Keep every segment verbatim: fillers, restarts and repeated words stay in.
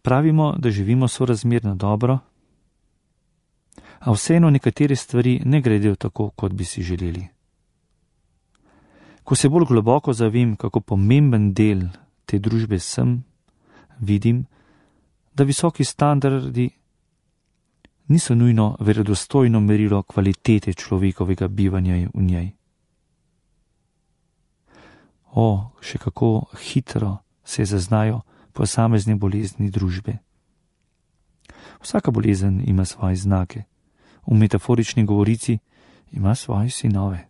Pravimo, da živimo sorazmerno dobro, a vseeno nekatere stvari ne gredo tako, kot bi si želeli. Ko se bolj globoko zavem, kako pomemben del te družbe sem, vidim, da visoki standardi niso nujno verodostojno merilo kvalitete človekovega bivanja v njej. O, še kako hitro se zaznajo posamezne bolezni družbe. Vsaka bolezen ima svoje znake. V metaforični govorici ima svoje sinove.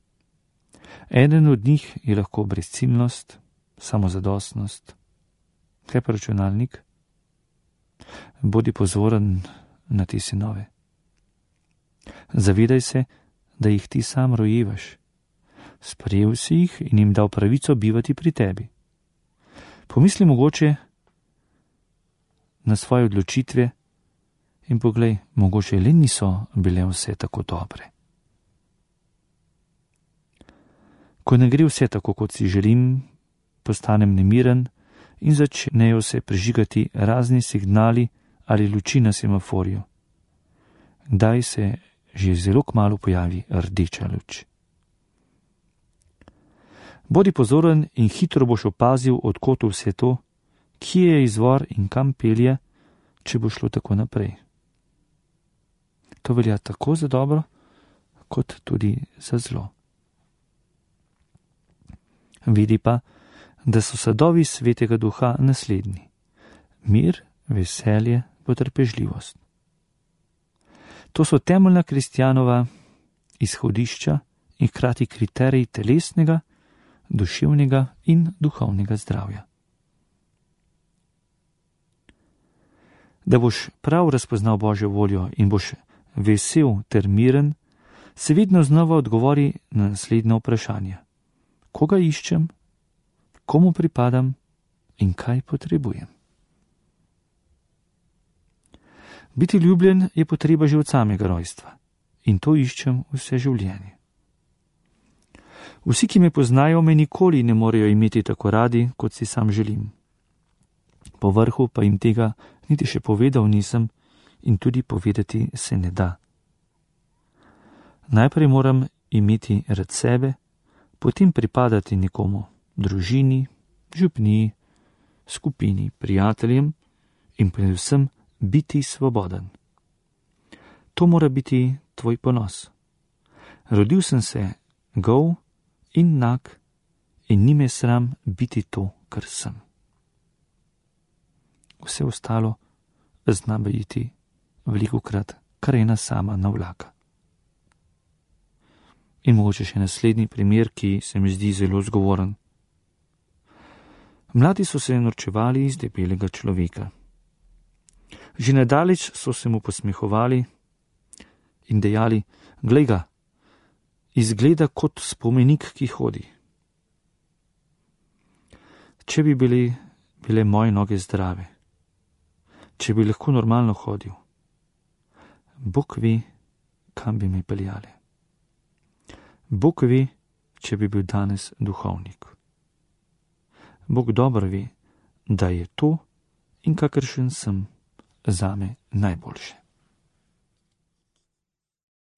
Eden od njih je lahko brezciljnost, samozadostnost. Kaj pa računalnik? Bodi pozoren na te sinove. Zavedaj se, da jih ti sam rojevaš. Sprejel si jih in jim dal pravico bivati pri tebi. Pomisli mogoče na svoje odločitve in poglej, mogoče le niso bile vse tako dobre. Ko ne gre vse tako, kot si želim, postanem nemiren in začnejo se prižigati razni signali ali luči na semaforju. Kdaj se že zelo kmalu pojavi rdeča luč. Bodi pozoren in hitro boš opazil, od kod vse to, kje je izvor in kam pelje, če bo šlo tako naprej. To velja tako za dobro, kot tudi za zlo. Vidi pa, da so sadovi svetega duha naslednji: mir, veselje, potrpežljivost. To so temeljna kristjanova izhodišča in hkrati kriteriji telesnega, duševnega in duhovnega zdravja. Da boš prav razpoznal Božjo voljo in boš vesel ter miren, se vedno znova odgovori na naslednje vprašanje: koga iščem, komu pripadam in kaj potrebujem. Biti ljubljen je potreba že od samega rojstva in to iščem vse življenje. Vsi, ki me poznajo, me nikoli ne morejo imeti tako radi, kot si sam želim. Po vrhu pa jim tega niti še povedal nisem in tudi povedati se ne da. Najprej moram imeti rad sebe, potem pripadati nekomu, družini, župniji, skupini, prijateljem in predvsem biti svoboden. To mora biti tvoj ponos. Rodil sem se gol in nag in ni me sram biti to, kar sem. Vse ostalo zna biti velikokrat kar ena sama navlaka. In mogoče še naslednji primer, ki se mi zdi zelo zgovoren. Mladi so se norčevali iz debelega človeka. Že nedaleč so se mu posmehovali in dejali: glej ga, izgleda kot spomenik, ki hodi. Če bi bili, bile moje noge zdrave, če bi lahko normalno hodil, Bog ve, kam bi me peljali. Bog ve, če bi bil danes duhovnik. Bog dobro ve, da je to in kakršen sem zame najboljše.